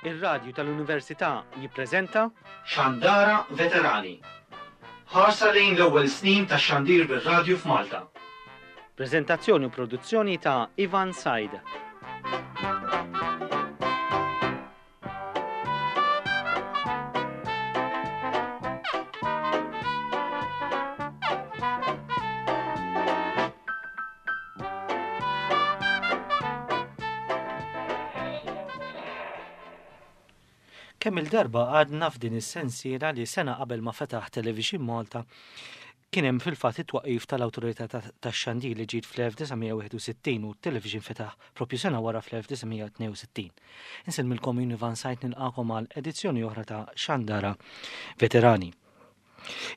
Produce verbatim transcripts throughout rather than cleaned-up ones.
Ir-radju tal-Università jippreżenta Xandara Veterani. Ħarsa lejn l-ewwel snin tax-xandir bir-radju f'Malta. Preżentazzjoni u produzzjoni ta' Ivan Said. Kemm il-darba għadna f'din is-sensiela li sena qabel ma fetaħ Television Malta kien hemm fil-fatt it-twaqqif tal-Awtorità tax-Xandir li ġiet fl-elf disa' mija wieħed u sittin u t-television fetaħ propju sena wara fl-elf disa' mija tnejn u sittin. Insellmilkom jien Ivan Said nilqakom għal edizzjoni oħra ta' Xandara Veterani.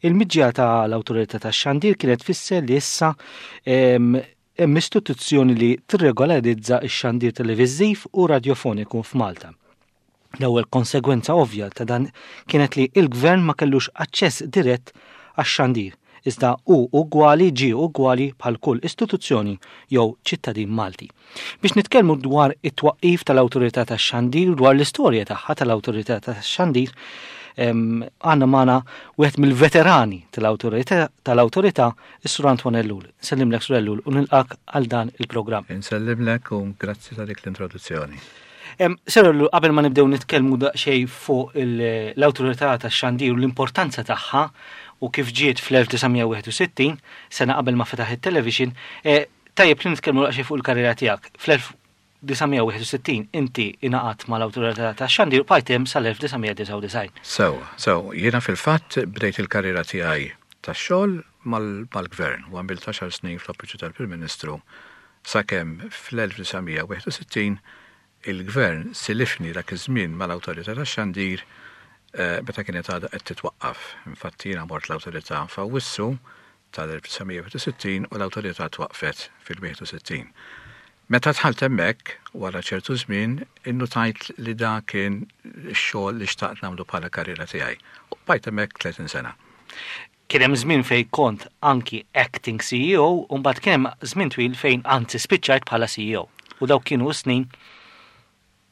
Il-miġja tal-Awtorità tax-Xandir kienet tfisser li issa, em, hemm istituzzjoni li tirregolarizza x-xandir televiżiv u radjofoniku f'Malta. L-ewwel konsegwenza ovvja ta' dan kienet li il-gvern ma kellux aċċess dirett għax-xandir, iżda hu ugwali ġie ugwali bħal kull istituzzjoni jew ċittadin Malti. Biex nitkellmu dwar it-twaqqif tal-Awtorità tax-Xandir, dwar l-istorja tagħha tal-Awtorità tax-Xandir, em, għandna magħna wieħed mill-veterani tal-Awtorità, tal-Awtorità, is-Sur Antoine Ellul. Nsellimlek, Sur Ellul, u nilqak għal dan il-programm. Insellimlek u grazzi ta' dik l-introduzzjoni. Em, Sur Ellul, qabel ma nibdew nitkellmu daqsxejn fuq il-, l-Awtorità tax-Xandir u l-importanza tagħha u kif ġiet fl-elf disa' mija wieħed u sittin, sena qabel ma fetaħ it-television, eh, tajjeb li nitkellmu daqsxejn fuq il-karriera tiegħek. Fl-elf disa' mija wieħed u sittin inti ingħaqadt mal-Awtorità tax-Xandir u bqajt hemm sal-elf disa' mija disgħa u disgħin. Sew, sew, jiena fil-fatt bdejt il-karriera tiegħi tax-xogħol mal-, mal-gvern u għamilt għaxar snin fl-Uffiċċju tal-Prim Ministru sakemm fl-elf disa' mija wieħed u sittin il-gvern silifni dak iż-żmien mal-Awtorità tax-Xandir, eh, meta kienet għadha qed titwaqqaf. Infatti jiena mort l-Awtorità f'Awwissu tal-elf disa' mija wieħed u sittin u l-Awtorità twaqqfet fil-wieħed u sittin. Meta dħalt hemmhekk, wara ċertu żmien, innutajt li da kien ix-xogħol li xtaqt nagħmlu bħala karriera tiegħi. U bqajt hemmhekk tletin sena. Kien hemm żmien fejn kont anki acting C E O u mbagħad kien hemm żmien twil fejn anzi spiċċajt bħala C E O. U dawk kienu snin.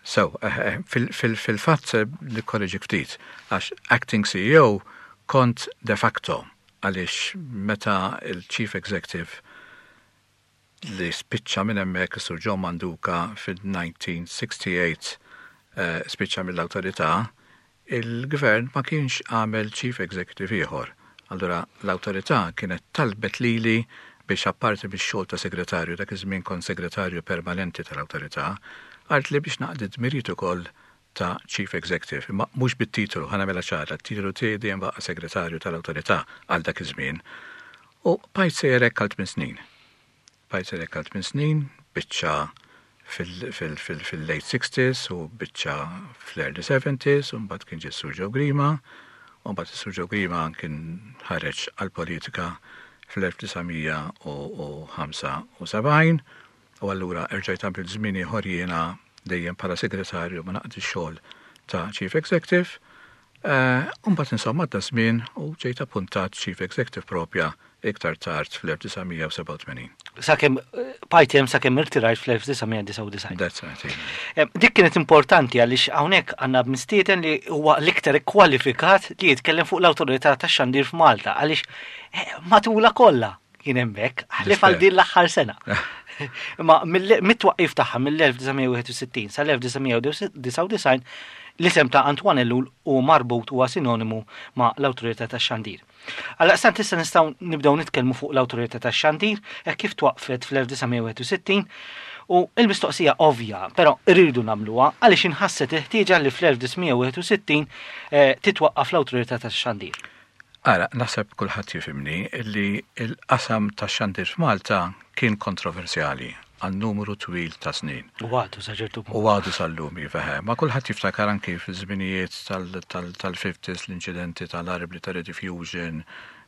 So, eh, eh, fil-, fil-, fil-fatt, eh, nikkorreġi ftit, għax acting C E O kont de facto għaliex meta il-Chief Executive li spiċċa minn hemmhekk is-Sur John Manduca fil-nineteen sixty-eight, eh, spiċċa mill-awtorità, il-gvern ma kienx għamel Chief Executive ieħor. Allura l-awtorità kienet talbet lili biex apparti bix-xogħol ta' segretarju, dak iż-żmien kont segretarju permanenti tal-awtorità, għalt li biex naqdi dmirijiet ukoll ta' Chief Executive, imma mhux bit-titolu, ħa nagħmilha ċara, t-titolu tiegħi dejjem baqa' segretarju tal-awtorità għal dak iż-żmien. U bqajt sejjer hekk għal tmien snin. Bqajt sejjer hekk għal tmien snin, biċċa fil-, fil-, fil-, fil-late sixties u biċċa fl-early seventies, u mbagħad kien ġie Sur Joe Grima, u mbagħad is-Sur Joe Grima kien ħareġ għall-politika fl-elf disa' mija u ħamsa u sebgħin, u allura erġajt għamilt żmien ieħor jiena dejjem bħala segretarju ma naqdi xogħol ta' Chief Executive. Eh, u mbagħad insomma għadda żmien u ġejt appuntat Chief Executive propja iktar tard fl-elf disa' mija u sebgħa u tmenin. Sakemm, eh, bqajt hemm sakemm irtirajt fl-elf disa' mija disgħa u disgħin. That's right, yeah. Eh, dik kienet importanti għaliex hawnhekk għandna mistieden li huwa l-iktar ikkwalifikat li jitkellem fuq l-Awtorità tax-Xandir f'Malta għaliex, eh, matula kollha kien hemmhekk, ħlief għal din l-aħħar sena. Imma mill-, mit-twaqqif tagħha mill-elf disa' mija wieħed u sittin sal-elf disa' mija disgħa u disgħin, l-isem ta' Antoine Ellul hu marbut huwa sinonimu ma' l-Awtorità tax-Xandir. Għaldaqstant issa nistgħu nibdew nitkellmu fuq l-Awtorità tax-Xandir hekk kif twaqqfet fl-elf disa' mija wieħed u sittin u l-mistoqsija ovvja, però rridu nagħmluha għaliex inħasset il-ħtieġa li fl-elf disa' mija wieħed u sittin, eh, titwaqqaf l-Awtorità tax-Xandir. Ara, naħseb kulħadd jifhimni li l-qasam tax-xandir f'Malta kien kontroversjali għal numru twil ta' snin. U għadu sa ċertu punt. U għadu sal-lum, iva, eh. Ma kulħadd jiftakar anki fil-żminijiet tal-, tal-, tal-fifties, l-inċidenti tal-arbli ta' Rediffusion,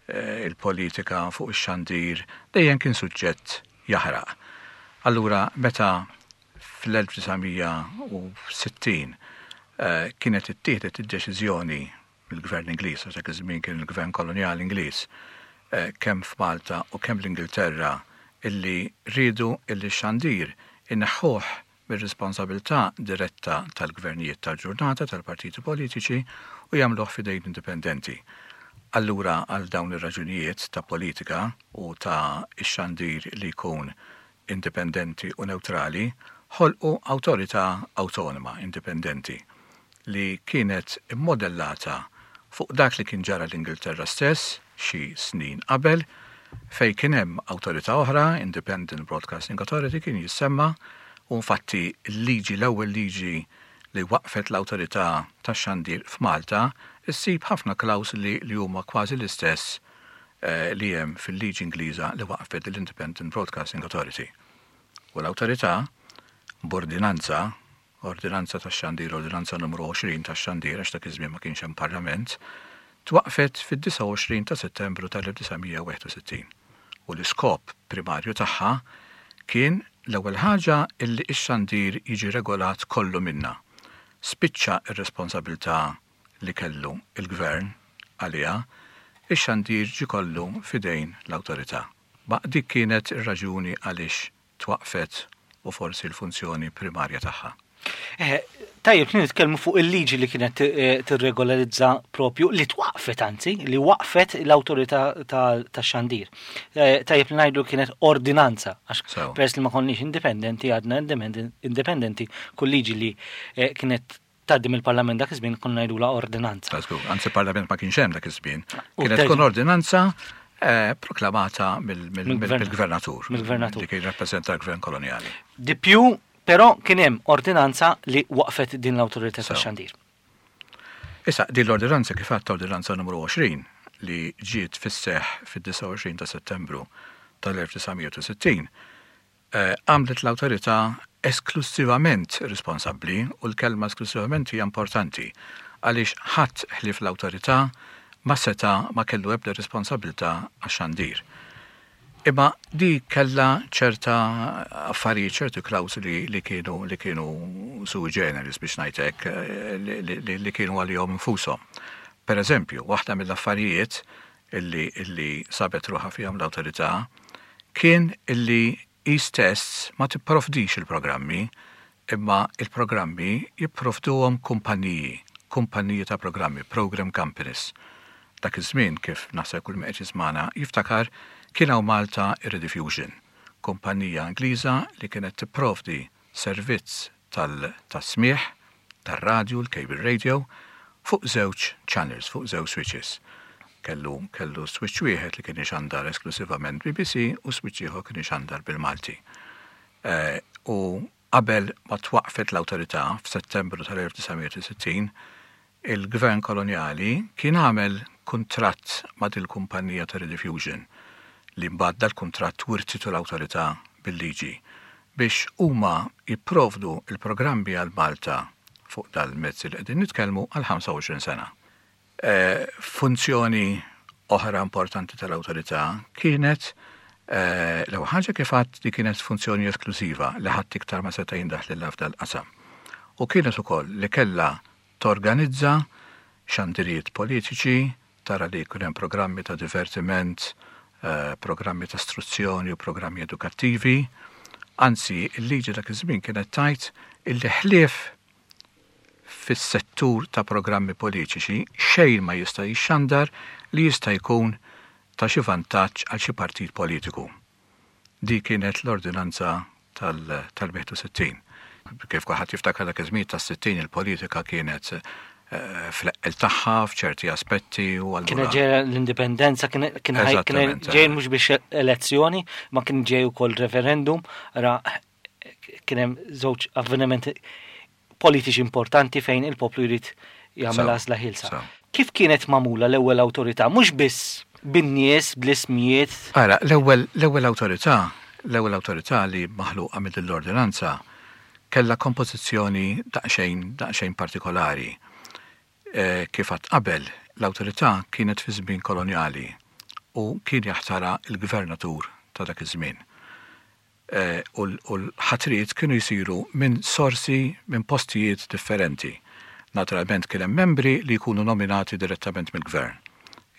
eh, il-politika fuq ix-xandir, dejjem kien suġġett jaħraq. Allura, meta fl-elf disa' mija u sittin, eh, kienet ittieħdet id-deċiżjoni mill-gvern Ingliż, għax dak iż-żmien kien il-gvern kolonjali Ingliż, eh, kemm f'Malta u kemm l-Ingilterra, illi riedu illi x-xandir inneħħuh mir-responsabilità diretta tal-gvernijiet tal-ġurnata tal-partiti politiċi u jagħmluh f'idejn indipendenti. Allura, għal dawn ir-raġunijiet ta' politika u ta' ix-xandir li jkun indipendenti u neutrali, ħolqu awtorità awtonoma indipendenti li kienet immodellata fuq dak li kien ġara l-Ingilterra stess xi snin qabel, fej kien hemm awtorità oħra, Independent Broadcasting Authority kien jissemma, u infatti l-liġi, l-ewwel liġi li waqfet l-awtorità tax-xandir f'Malta, issib ħafna klawsoli li huma kważi l-istess eh, li hemm fil-liġi Ingliża li waqfet l-Independent Broadcasting Authority. U l-awtorità, b'ordinanza, ordinanza tax-xandir, ordinanza numru għoxrin tax-xandir, għax dak iż-żmien ma kienx hemm parlament, twaqfet fid-disgħa u għoxrin ta' Settembru tal-elf disa' mija u wieħed u sittin. U l-iskop primarju tagħha kien, l-ewwel ħaġa, illi x-xandir jiġi regolat kollu minna. Spiċċa ir-responsabilità li kellu il-gvern għaliha, ix-xandir ġi kollu fidejn l-awtorità. Ma dik kienet ir-raġuni għaliex twaqfet u forsi l-funzjoni primarja tagħha. Eh, tajjeb li nitkellmu fuq il-liġi li kienet eh, tirregolarizza propju, li twaqfet anzi, li waqfet l-awtorità tax-xandir. Eh, tajjeb li ngħidu kienet ordinanza, għax Sew. peress li ma konniex indipendenti, għadna indipendenti, indipendenti, kull liġi li eh, kienet tgħaddi mill-Parlament dak iż-żmien konna ngħidulha ordinanza. Ta' żgur, anzi parlament ma kienx hemm dak iż-żmien. U Kienet terġa' tkun ordinanza eh, proklamata mill- mill- Mill-gvern- mill-gvernatur. Mill-gvernatur. Li kien rappreżenta l-gvern koloniali. Di più, però kien hemm ordinanza li waqfet din l-awtorità Sew. tax-xandir. Issa, din l-ordinanza, kif għadt, ordinanza numru għoxrin li ġiet fis-seħ fid-disgħa u għoxrin ta' Settembru tal-elf disa' mija u sittin, eh, għamlet l-awtorità esklusivament responsabbli, u l-kelma esklusivament hija importanti għaliex ħadd ħlief l-awtorità ma seta, ma kellu ebda responsabilità għax-xandir. Imma di kella ċerta affarijiet, ċertu klawsoli li kienu li kienu sui generis, biex ngħidlek, eh, li, li, li, li kienu għalihom infushom. Per eżempju, waħda mill-affarijiet illi, illi sabet ruħha fihom l-awtorità kien illi hi stess ma tipprovdix il-programmi, imma il-programmi jipprovduhom kumpaniji, kumpaniji ta' programmi, program companies. Dak iż-żmien, kif naħseb kull min qed jismagħna jiftakar, kien hawn Malta Rediffusion, kumpanija Ingliża li kienet tipprovdi servizz tal-tasmigħ, tar-radju, l-cable radio, fuq żewġ channels, fuq żewġ switches. Kellu, kellu switch wieħed li kien ixandar esklusivament B B C u switch ieħor kien ixandar bil-Malti. Eh, u qabel ma twaqfet l-awtorità f'Settembru tal-elf disa' mija u sittin, il-gvern koloniali kien għamel kuntratt ma' dil-kumpanija ta' Rediffusion, li mbagħad dal-kuntratt wirtitu l-awtorità bil-liġi, biex huma jipprovdu il-programmi għal Malta fuq dal-mezzi li qegħdin nitkellmu għal ħamsa u għoxrin sena. Eh, funzjoni oħra importanti tal-awtorità kienet eh, l ħaġa, kif għedt, li kienet funzjoni esklusiva li ħadd iktar ma seta' jindaħlilha f'dal-qasam. U kienet ukoll li kellha torganizza xandirijiet politiċi, tara li jkun hemm programmi ta' divertiment, eh, programmi ta' istruzzjoni u programmi edukattivi. Anzi, il-liġi dak iż-żmien kienet tgħid illi ħlief fis-settur ta' programmi politiċi xejn ma jista' jixxandar li jista' jkun ta' xi vantaġġ għal xi partit politiku. Di kienet l-ordinanza tal-wieħed u sittin. Kif kulħadd jiftakar, dak iż-żmien tas-sittin il-politika kienet eh, fl-eqqel tagħha f'ċerti aspetti u allura Kienet ġejja l-indipendenza, kien kien ħaj- kien Eżattament, ġej eh. mhux biex elezzjoni, ma kien ġej ukoll referendum, ra kien hemm żewġ avvenimenti politiċi importanti fejn il-poplu jrid jagħmel Sew, għażla ħielsa. Sew. Kif kienet magħmula l-ewwel awtorità? Mhux biss bin-nies, bl-ismijiet? Ara, l-ewwel l-ewwel awtorità, l-ewwel awtorità li maħluqa mill l-ordinanza kellha kompożizzjoni daqsxejn daqsxejn partikolari. E, kif għedt qabel, l-awtorità kienet fi żmien koloniali u kien jaħtara il-gvernatur ta' dak iż-żmien. E, u l- u l-ħatriet kienu jsiru minn sorsi, minn postijiet differenti. Naturalment kien hemm membri li jkunu nominati direttament mill-gvern.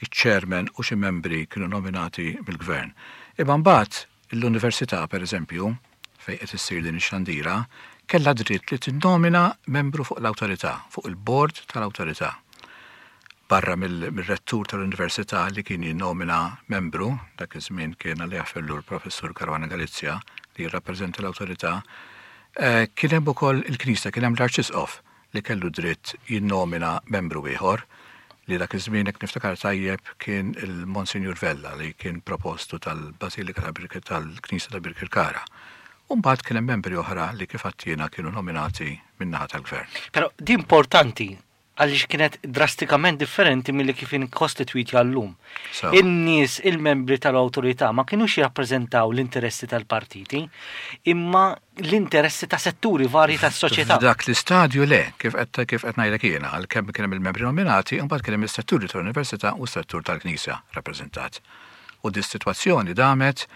Iċ-chairman u xi membri kienu nominati mill-gvern. Imma mbagħad l-università, per eżempju, fejn qed issir din ix-xandira kellha dritt li tinnomina membru fuq l-awtorità, fuq il-bord tal-awtorità. Barra mill-rettur tal-università li kien jinnomina membru, dak iż-żmien kien għal jaħfirlu l-professur Caruana Galizia li jirrappreżenta l-awtorità, eh, kien hemm ukoll il-Knisja, kien hemm l-Arċisqof li kellu dritt jinnomina membru ieħor li dak iż-żmien jekk niftakar tajjeb kien il-Monsinjur Vella li kien propostu tal-Basilika tal-Knisja ta' Birkirkara. U mbagħad kien hemm membri oħra li kif għedtilna kienu nominati min-naħa tal-gvern. Però di importanti għaliex kienet drastikament differenti milli kif inkostitwiti għallum. So. In-nies, il-membri tal-awtorità ma kienux jirrappreżentaw l-interessi tal-partiti, imma l-interessi ta' setturi varji tas-soċjetà. F'dak l-istadju le, kif qed kif qed ngħidlek jiena, għalkemm kien hemm il-membri nominati, imbagħad kien hemm is-setturi tal-Università u s-settur tal-Knisja rappreżentat. U di sitwazzjoni damet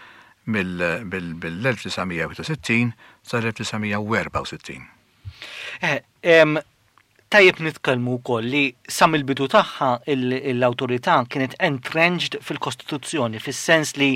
mill-elf disa' mija wieħed u sittin sal-elf disa' mija u erbgħa u sittin. Eh, em, tajjeb nitkellmu wkoll li sa mill-bidu tagħha il-, l-awtorità kienet entrenched fil-Kostituzzjoni, fis-sens li,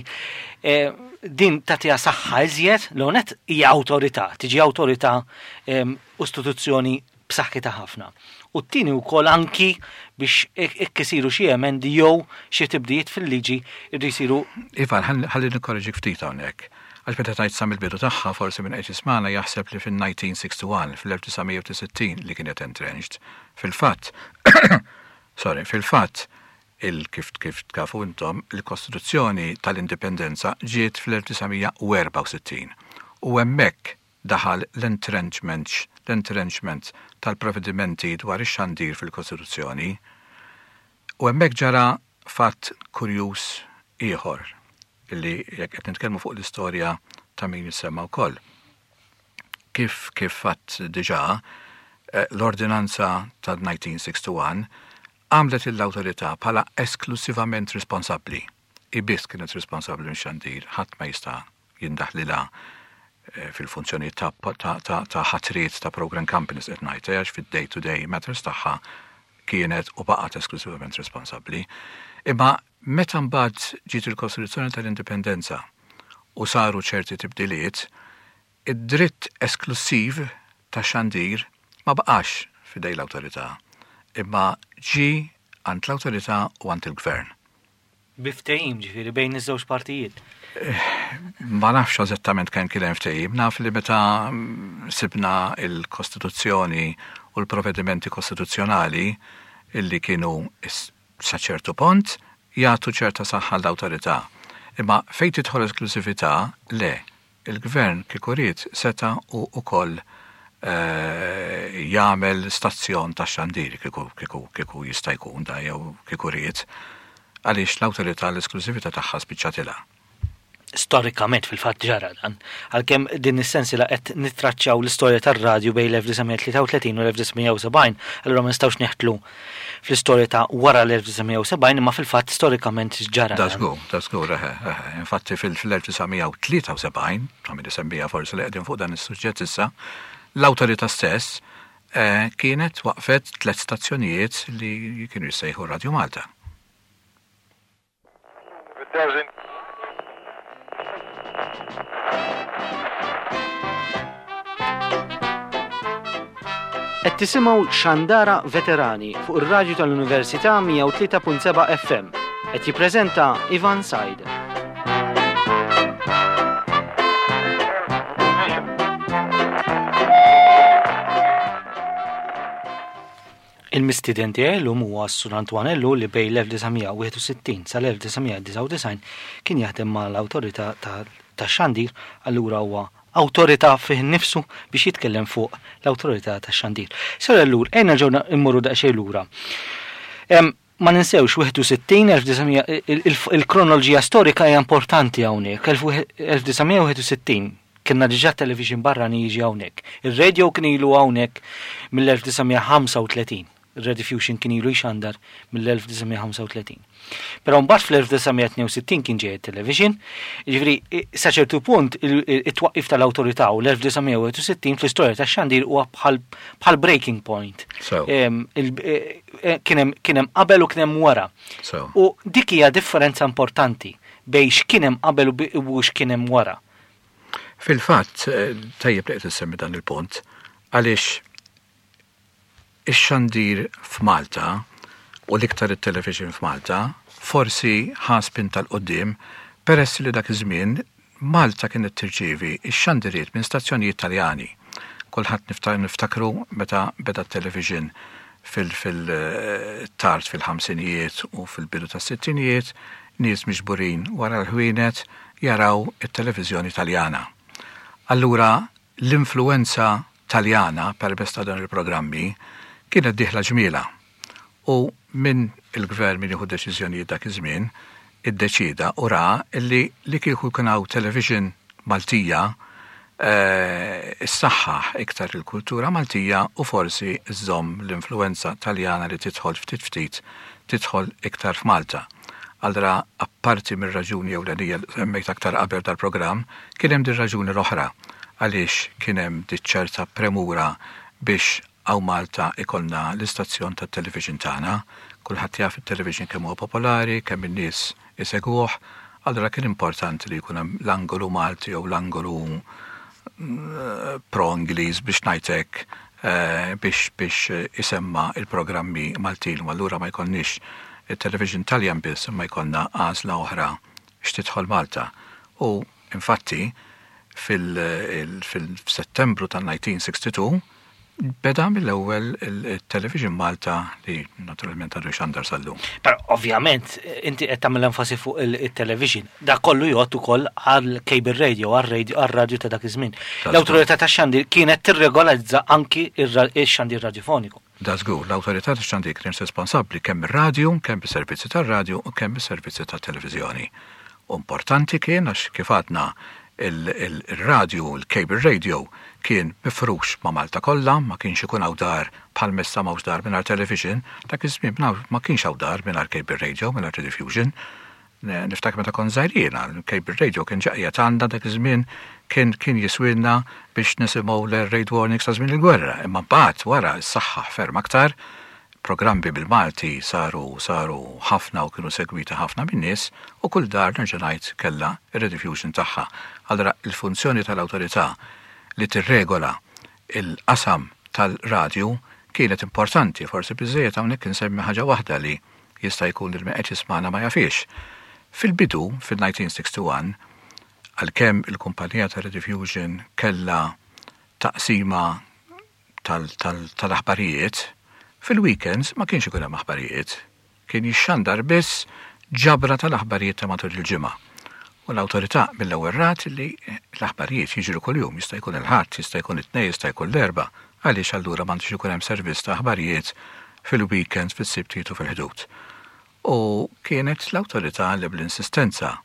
eh, din tagħtiha saħħa iżjed, l-onet hija awtorità, tiġi awtorità, em, istituzzjoni b'saħħitha ħafna. U t-tieni wkoll anki biex ek-, hekk isiru xi emendi jew xi tibdijiet fil-liġi jridu jsiru. Ivan, ħalli, ħalli nikkorreġik ftit hawnhekk. Għax meta tajt sa mill-bidu tagħha forsi minn qed jismana jaħseb li fin-nineteen sixty-one, fil-elf disa' mija u sittin li kienet entrenched. Fil-fatt, sorry, fil-fatt, il kif, kif tkafu intom, il-Kostituzzjoni tal-Indipendenza ġiet fl-elf disa' mija u erbgħa u sittin. U hemmhekk daħal l-entrenchment, l-entrenchment tal-provvedimenti dwar ix-xandir fil-Kostituzzjoni. U hemmhekk ġara fatt kurjuż ieħor illi jekk qed nitkellmu fuq l-istorja ta' min jissemma wkoll. Kif, kif fatt diġà, eh, l-ordinanza ta' nineteen sixty-one għamlet l-awtorità bħala esklusivament responsabbli. I biss kienet responsabbli minn xandir, ħadd ma jista' jindaħlilha, eh, fil-funzjoni ta', ta', ta', ta' ħatriet ta' program companies qed ngħid, għax fid-day-to-day matters tagħha kienet u baqgħet esklusivament responsabbli. Imma meta mbagħad ġiet il-Kostituzzjoni tal-Indipendenza u saru ċerti tibdiliet, id-dritt esklusiv ta' xandir ma baqax f'idej l-awtorità, imma ġi għand l-awtorità u għand il-gvern. Bi ftehim ġifieri bejn iż-żewġ partijiet. Eh, ma nafx eżattament kemm kien hemm ftehim, naf li meta sibna il-Kostituzzjoni u l-provvedimenti kostituzzjonali illi kienu is-, sa ċertu punt jagħtu ċerta saħħa l-awtorità. Imma fejn tidħol esklusività, le, il-gvern kieku ried seta' u ukoll, eh, jagħmel stazzjon ta' xandir kieku, kieku, kieku jista' jkun da jew kieku ried, għaliex l-awtorità l-esklusività tagħha spiċċatilha. Storikament fil-fatt ġara dan, għalkemm din is-sensi la qed nittraċċaw l-istorja tar-radju bejn l-elf disa' mija tlieta u tletin u l-elf disa' mija u sebgħin, allura ma nistgħux neħtlu fl-istorja ta' wara l-elf disa' mija u sebgħin, imma fil-fatt storikament ġara Da dan. żgur, da żgur, eħe, eħe. Infatti fil-, fil-elf disa' mija u tlieta u sebgħin, ta' min isemmija forsi li qegħdin fuq dan is-suġġett issa, l-awtorità stess, eh, kienet waqfet tliet stazzjonijiet li kienu jissejħu Radio Malta. Qed tisimgħu Xandara Veterani fuq ir-radju tal-Università mija u tlieta punt seba' F M. Qed jippreżenta Ivan Said. Il-mistieden tiegħi llum huwa s-Sur Antoine Ellul li bejn l-elf disa' mija wieħed u sittin sal-elf disa' mija disgħa u disgħin kien jaħdem mal-awtorità ta', ta' xandir, allura huwa awtorità fih innifsu biex jitkellem fuq l-awtorità ta' xandir. Sur Ellul, ejna ġew immorru daqsxejn lura. Em, ma ninsewx wieħed u sittin, elf disa' mija, il-, il-, il-kronoloġija storika hija importanti hawnhekk. Elf wieħed, elf disa' mija wieħed u sittin kienna diġà television barrani jiġi hawnhekk. Ir-radio kien ilu hawnhekk mill-elf disa' mija ħamsa u tletin. Ir-Rediffusion kien ilu jxandar mill-elf disa' mija ħamsa u tletin. Però mbagħad fl-elf disa' mija tnejn u sittin kien ġej it-television, jiġifieri, i-, sa ċertu punt il-, il-, it-twaqqif tal-awtorità u l-elf disa' mija wieħed u sittin fl-istorja tax-xandir huwa bħal, bħal breaking point. So. Em, il-, e, e, kien hemm, kien hemm qabel u kien hemm wara. So. U dik hija differenza importanti bejn x'kien hemm qabel u bi-, u x'kien hemm wara. Fil-fatt, eh, tajjeb li qed issemmi dan il-punt, għaliex ix-xandir f'Malta u l-iktar it-television f'Malta forsi ħa spinta 'l quddiem peress li dak iż-żmien Malta kienet tirċievi ix-xandiriet minn stazzjonijiet Taljani. Kulħadd niftakru meta beda t-television fil-tard fil-ħamsinijiet u fil-bidu tas-sittinijiet, nies miġburin wara l-ħwienet jaraw it-televiżjoni Taljana. Allura l-influenza Taljana permezz ta' dan il-programmi kienet dieħla ġmielha. U minn il-gvern min jieħu deċiżjonijiet dak iż-żmien iddeċida u ra illi li kieku kien hawn television Maltija eh, issaħħaħ iktar il-kultura Maltija u forsi żżomm l-influenza Taljana li tidħol ftit ftit tidħol iktar f'Malta. Allura, apparti mir-raġuni ewlenija li semmejt aktar qabel dal-programm, kien hemm din raġuni l-oħra għaliex kien hemm ċerta premura biex hawn Malta ikollna l-istazzjon tat-television tagħna. Kulħadd jaf it-television kemm huwa popolari, kemm in-nies isegwuh, allura kien importanti li jkun hemm l-angolu Malti jew l-angolu mm, pro-Ingliż biex ngħidlek eh, biex biex isemma il-programmi Maltin u allura ma jkollniex il-television Taljan biss imma jkollna għażla oħra x'tidħol Malta. U infatti fil-Settembru tal-elf disa' mija u sitta u sittin beda mill-ewwel il-Television Malta li naturalment għadu xandar sal-lum. Però ovvjament inti qed tagħmel enfasi fuq il-television. Da kollu jgħod ukoll għal cable radio, għal radio ta' dak iż-żmien. L-awtorità tax-xandir kienet tirregolizza anki ix-xandir radiofoniku. Da żgur, l-awtorità tax-xandir kienet responsabbli kemm ir-radju, kemm is-servizzi tar-radju u kemm is-servizzi tat-televiżjoni. Importanti kien għax kif għadna il-radio, il-cable radio kien mifrux ma' Malta kollha, ma kienx ikun hawn dar bħal issa m'hawnx dar mingħajr television, dak iż-żmien ma kienx hawn dar mingħajr cable radio, mingħajr Rediffusion. Niftakar meta kont żgħir jiena, il-cable radio kien ġaqja għandna dak iż-żmien kien kien jiswilna biex nisimgħu l-raid warnings ta' żmien il-gwerra, imma mbagħad wara s-saħħa ferm aktar, programmi bil-Malti saru saru ħafna u kienu segwiti ħafna min-nies u kull dar nerġa' ngħid kellha ir-Rediffusion tagħha. Allura il-funzjoni tal-awtorità li tirregola il-qasam tal-radju kienet importanti, forsi biżejjed hawnhekk insemmi ħaġa waħda li jista' jkun il qed jismagħna ma jafix. Fil-bidu, fil-elf disa' mija u wieħed u sittin, għalkemm il-kumpanija ta' Rediffusion kellha taqsima tal-aħbarijiet, fil-weekends ma kienx ikun hemm aħbarijiet. Kien jixxandar biss ġabra tal-aħbarijiet ta' matul il-ġimgħa. U l-awtorità mill-ewwel rat li l-aħbarijiet jiġru kuljum, jista' jkun il-Ħadd, jista' jkun it-Tnejn, jista' jkun l-Erbgħa, għaliex allura m'għandux ikun hemm servizz ta' aħbarijiet fil-weekends, fis-Sibtiet u fil-Ħdud. U kienet l-awtorità li bl-insistenza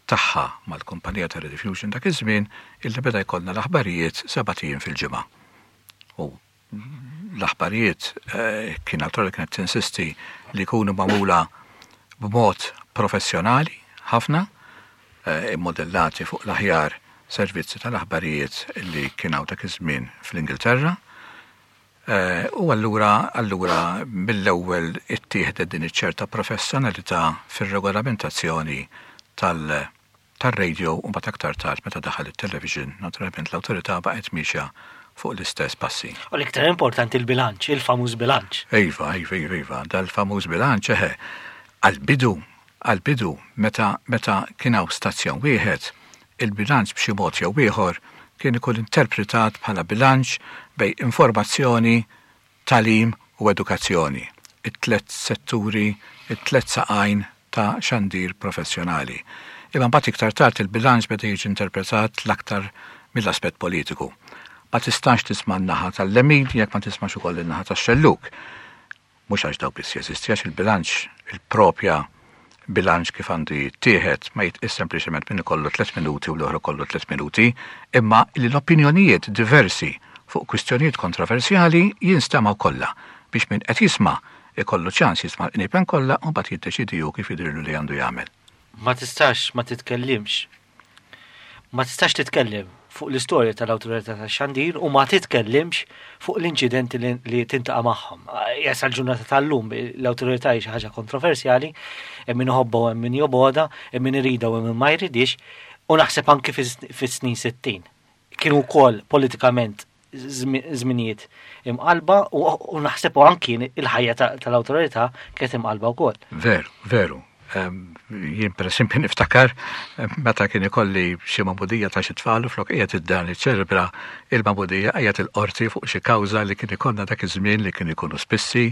tagħha mal-kumpanija ta' Rediffusion dak iż-żmien illi beda jkollna l-aħbarijiet sebat ijiem fil-ġimgħa. U l-aħbarijiet eh, kien l kienet tinsisti li jkunu magħmula b'mod professjonali ħafna, eh, immodellati fuq l-aħjar servizzi tal-aħbarijiet li kien hawn dak iż-żmien fl-Ingilterra. Eh, u allura allura mill-ewwel ittieħdet din iċ-ċerta professjonalità fir-regolamentazzjoni tal- tal-radio u mbagħad aktar tard meta daħal it-television, naturalment l-awtorità baqgħet miexja fuq l-istess passi. U l-iktar importanti il-bilanċ, il-famuż bilanċ. Iva, iva, iva, iva, dal-famuż bilanċ, eħe, għal-bidu, għal-bidu, meta, meta kien hawn stazzjon wieħed, il-bilanċ b'xi mod jew ieħor kien ikun interpretat bħala bilanċ bejn informazzjoni, tagħlim u edukazzjoni. It-tlet setturi, it-tlet saqajn ta' xandir professjonali. Imma mbagħad iktar tard il-bilanċ beda jiġi interpretat l-aktar mill-aspett politiku. Ma tistax tisma' n-naħa tal-lemin jekk ma tismax ukoll in-naħa tax-xelluk. Mhux għax daw biss jeżisti, għax il-bilanċ, il-propja bilanċ kif għandu jittieħed ma jitqis sempliċement minn ikollu tliet minuti u l-oħra kollu tliet minuti, imma li l-opinjonijiet diversi fuq kwistjonijiet kontroversjali jinstemaw kollha biex min qed jisma' ikollu ċans jisma' l-qniepen kollha u mbagħad jiddeċidi hu kif jidhirlu li għandu jagħmel. Ma tistax ma titkellimx. Ma tistax titkellem fuq l-istorja tal-awtorità tax-xandir u ma titkellimx fuq l-inċidenti li, li tiltaqa' magħhom. Issa l-ġurnata tal-lum l-awtorità hi xi ħaġa kontroversjali, hemm min iħobbha u hemm min jobgħodha, hemm min iridha u hemm min ma jridix, u naħseb anki fis-snin sittin. Kienu wkoll politikament żminijiet imqalba u naħseb u anki il-ħajja tal-awtorità kienet imqalba wkoll. Veru, veru. Jien per esempio niftakar meta kien ikolli xi magħmudija ta' xi tfal u flok qiegħed id-dar niċċelebra il-magħmudija, qiegħed il-qorti fuq xi kawża li kien ikollna dak iż-żmien, li kien ikunu spissi,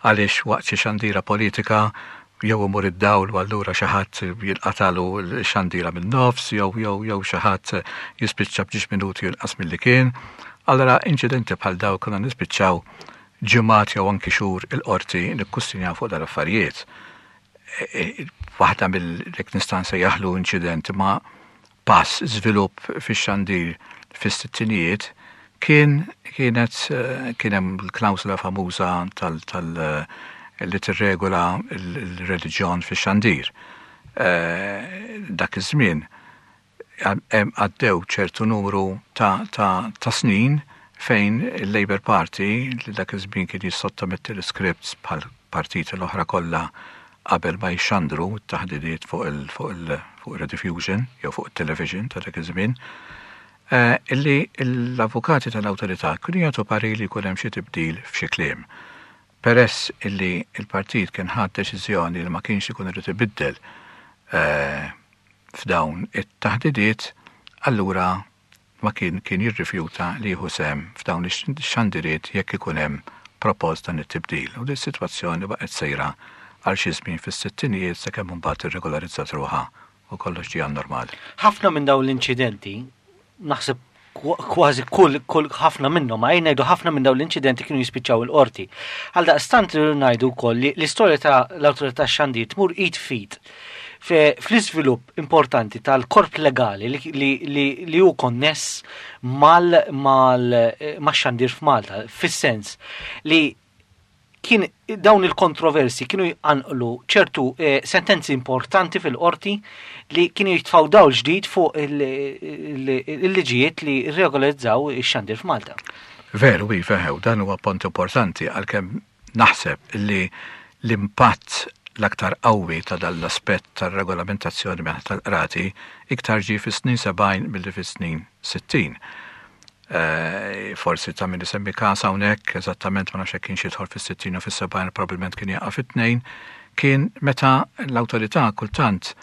għaliex waqt xi xandira politika jew imur id-dawl u allura xi ħadd jinqatalu x-xandira min-nofs jew jew jew xi ħadd jispiċċa b'ġiex minuti jinqas milli kien. Allora inċidenti bħal daw konna nispiċċaw ġimgħat jew anki xhur il-qorti nikkustinjaw fuq dal-affarijiet. Waħda mill-jekk nista' nsejjaħlu inċident ma pass żvilupp fix-xandir fis-sittinijiet kien kienet kien hemm l-klawsula famuża tal tal li tirregola l-reliġjon fix-xandir. Dak iż-żmien għaddew ċertu numru ta', ta, ta' snin fejn il-Labour Party, li dak iż-żmien kien jissottometti l-scripts bħal partiti l-oħra kollha qabel ma jxandru t-taħdidiet fuq il fuq il fuq il-rediffusion jew fuq il-television ta' dak iż-żmien, illi l-avukati tal-awtorità kienu jagħtu parir li jkun hemm xi tibdil f'xi kliem. Peress illi il-partit kien ħad deċiżjoni li ma kienx ikun irid ibiddel f'dawn it-taħdidiet, allura ma kien kien jirrifjuta li jieħu sehem f'dawn ix-xandiriet jekk ikun hemm propost dan it-tibdil. U din is-sitwazzjoni baqgħet sejra għal xi żmien fis-sittinijiet sakemm imbagħad irregolarizzat ruħha u kollox ġie normal. Ħafna minn dawn l-inċidenti, naħseb kważi kull, kull ħafna minnhom, ma ngħidu ħafna minn dawn l-inċidenti kienu jispiċċaw il-qorti. Għal daqstant ngħidu wkoll li l-istorja ta' l-awtorità xandir tmur id f'id fl-iżvilupp importanti tal-korp legali li, li, li, li hu konness mal, mal, max-xandir f'Malta, fis-sens li kien dawn il-kontroversi kienu jqanqlu ċertu eh, sentenzi importanti fil-qorti li kienu jitfaw dawl ġdid fuq il-liġijiet li regolizzaw ix-xandir f'Malta. Veru, iva, dan huwa punt importanti, għalkemm naħseb li l-impatt l-aktar qawwi ta' dan l-aspett tar-regolamentazzjoni minn tal-qrati iktar ġie fis-snin sebgħin milli fis-snin sittin. Forsi ta' min isemmi każ hawnhekk, eżattament ma nafx hekk kienx jidħol fis-sittin u fis-sebgħin, probabbilment kien jaqa' fit-tnejn, kien meta l-awtorità kultant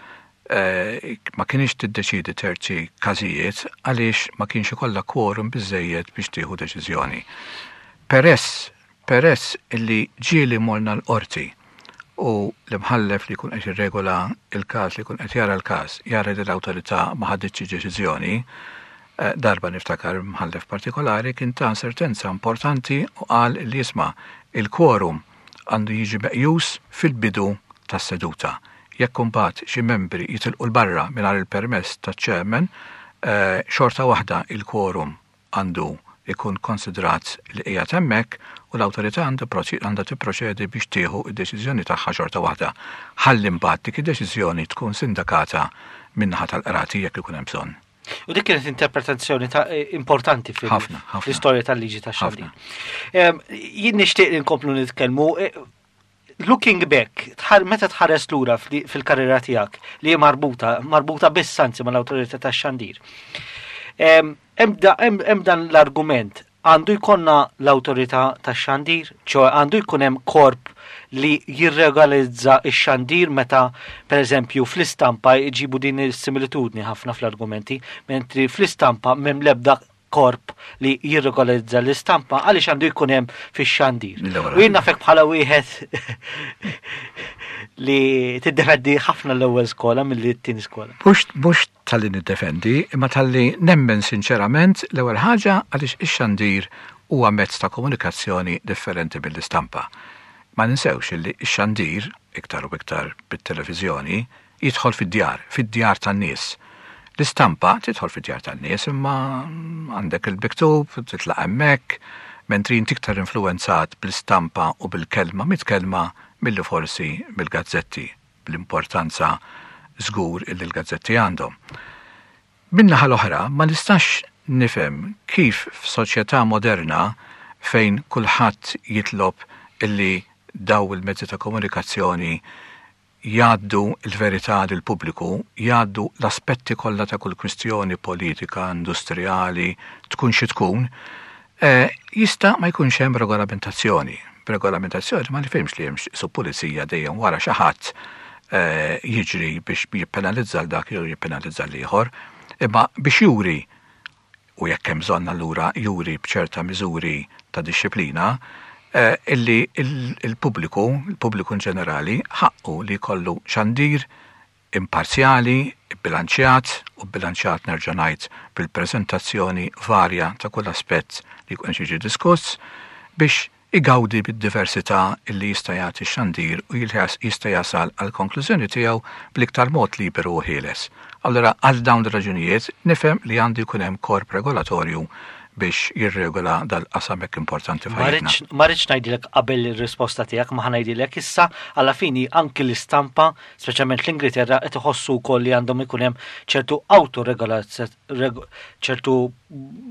ma kienx tiddeċidi terzi każijiet għaliex ma kienx ikollha quorum biżejjed biex tieħu deċiżjoni. Peress, peress illi ġieli morna l-qorti u l-imħallef li jkun qed jirregola il-każ, li jkun qed jara l-każ, jara li l-awtorità ma ħaditx deċiżjoni, darba niftakar mħallef partikolari kien ta' sentenza importanti u qal li jisma' il-quorum għandu jiġi meqjus fil-bidu tas-seduta. Jekk imbagħad xi membri jitilqu l-barra mingħajr il-permess taċ-chairman, xorta waħda il-quorum għandu ikun konsidrat li qiegħed hemmhekk u l-awtorità għandha tipproċedi biex tieħu d-deċiżjoni tagħha xorta waħda. Ħalli mbagħad dik id-deċiżjoni tkun sindakata min-naħa tal-qrati jekk ikun hemm bżonn. U dik kienet interpretazzjoni ta' importanti fil-istorja tal-liġi ta' xandir. Jien nixtieq li nkomplu nitkellmu. Looking back, meta tħares lura fil-karriera tiegħek li hi marbuta, marbuta biss anzi mal-awtorità tax-xandir. Hemm dan l-argument, għandu jkollna l-awtorità tax-xandir, ċoe għandu jkun hemm korp li jirregolizza x-xandir meta, per eżempju, fl-istampa jġibu din is-similitudni ħafna fl-argumenti, mentri fl-istampa m'hemm l-ebda korp li jirregolizza l-istampa, għaliex għandu jkun hemm fix-xandir. U jien nafek bħala wieħed li tiddefendi ħafna l-ewwel skola milli t-tieni skola. Mhux talli niddefendi, imma talli nemmen sinċerament l-ewwel ħaġa għaliex ix-xandir huwa mezz ta' komunikazzjoni differenti mill-istampa. Ma ninsewx li x-xandir, iktar u iktar bit-televiżjoni, jidħol fid-djar, fid-djar tan-nies. L-istampa tidħol fid-djar tan-nies imma għandek il-miktub, titlaq hemmhekk, mentri inti iktar influenzat bl-istampa u bil-kelma mitkellma milli forsi mill-gazzetti, bl-importanza żgur illi l-gazzetti għandhom. Min-naħa l-oħra, ma nistax nifhem kif f'soċjetà moderna fejn kulħadd jitlob illi daw il-mezzi ta' komunikazzjoni Jgħaddu l-verità lill-pubbliku, jgħaddu l-aspetti kollha ta' kull kwistjoni politika, industrijali, tkun xi tkun, eh, jista' ma jkunx hemm regolamentazzjoni. Regolamentazzjoni ma nifhimx li hemm su pulizija dejjem wara xi ħadd eh, jiġri biex jippenalizza dak jew jippenalizza l-ieħor, imma biex juri, u jekk hemm bżonn allura juri b'ċerta miżuri ta' dixxiplina, eh, illi il-pubbliku, il-pubbliku in ġenerali, ħaqqu li jkollu xandir imparzjali, bilanċjat, u bilanċjat nerġa' ngħid bil-preżentazzjoni varja ta' kull aspett li jkun jiġi diskuss, biex igawdi bid-diversità illi jista' jagħti xandir u jista' jasal għal konklużjoni tiegħu bl-iktar mod liberu u ħieles. Allora, għal dawn ir-raġunijiet nifhem li għandu jkun hemm korp regolatorju biex jirregola dal-qasam hekk importanti f'ħajjitna. Ma rridx ngħidilek qabel ir-risposta tiegħek, ma ħa ngħidilek issa. Alla fini anki l-istampa, speċjalment l-Ingilterra, qed iħossu wkoll li għandhom ikun hemm ċertu autoregolazzjoni, ċertu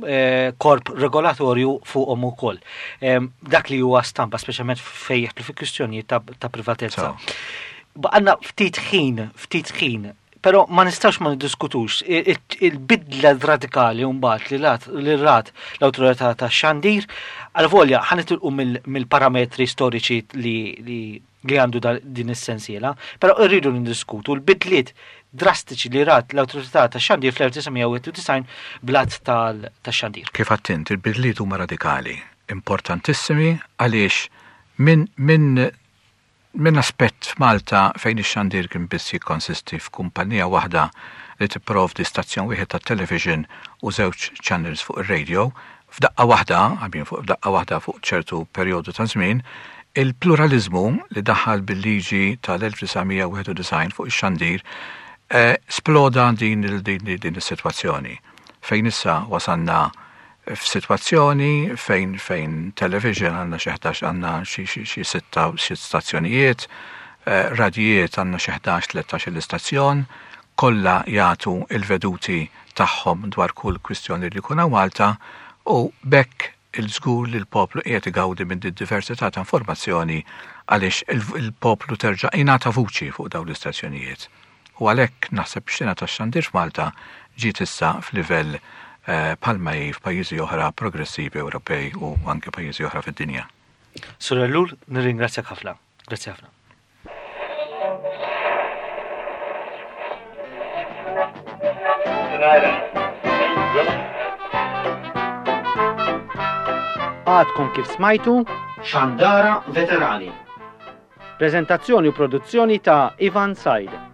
eh, korp regolatorju fuqhom ukoll. Dak li huwa stampa, speċjalment fejn jidħlu fi kwistjonijiet ta' privatezza. Għandna ftit ħin, ftit ħin, pero ma nistax ma niddiskutux il-bidla radikali mbagħad li rat li rat l-awtorità tax-xandir, għal-volja ħa nitilqu mill-parametri storiċi li li għandu din is-sensiela, però rridu nindiskutu l-bidliet drastiċi li rat l-awtorità tax-xandir fl-elf disa' mija u wieħed u disgħin bl-att tax-xandir. Kif għedt int, il-bidliet huma radikali, importantissimi, għaliex minn min Min aspett f'Malta fejn ix-xandir kien biss jikkonsisti f'kumpanija waħda li tipprovdi stazzjon wieħed ta' television u żewġ channels fuq ir-radio, f'daqqa waħda, għabin fuq f'daqqa waħda fuq ċertu perjodu ta' żmien, il-pluralizmu li daħal bil-liġi tal-elf disa' mija u wieħed u disgħin fuq ix-xandir eh, sploda din din din is-sitwazzjoni. Fejn issa wasanna f'sitwazzjoni fejn fejn television għandna xi ħdax, għandna xi xi sitta, xi stazzjonijiet, eh, radijiet għandna xi ħdax, tlettax l-istazzjon, kollha jagħtu il-veduti tagħhom dwar kull kwistjoni li jkun Malta, u b'hekk il-żgur li l-poplu qiegħed igawdi minn din diversità ta' informazzjoni, għaliex il-poplu terġa' ingħata vuċi fuq dawn l-istazzjonijiet. U għalhekk naħseb xena tax-xandir f'Malta ġiet issa f'livell eh, bħalma hi f'pajjiżi oħra progressivi Ewropej u anke pajjiżi oħra fid-dinja. Sur Ellul, nirringrazzjak ħafna. Grazzi ħafna. Għadkom kif smajtu Xandara Veterani. Prezentazzjoni u produzzjoni ta' Ivan Said.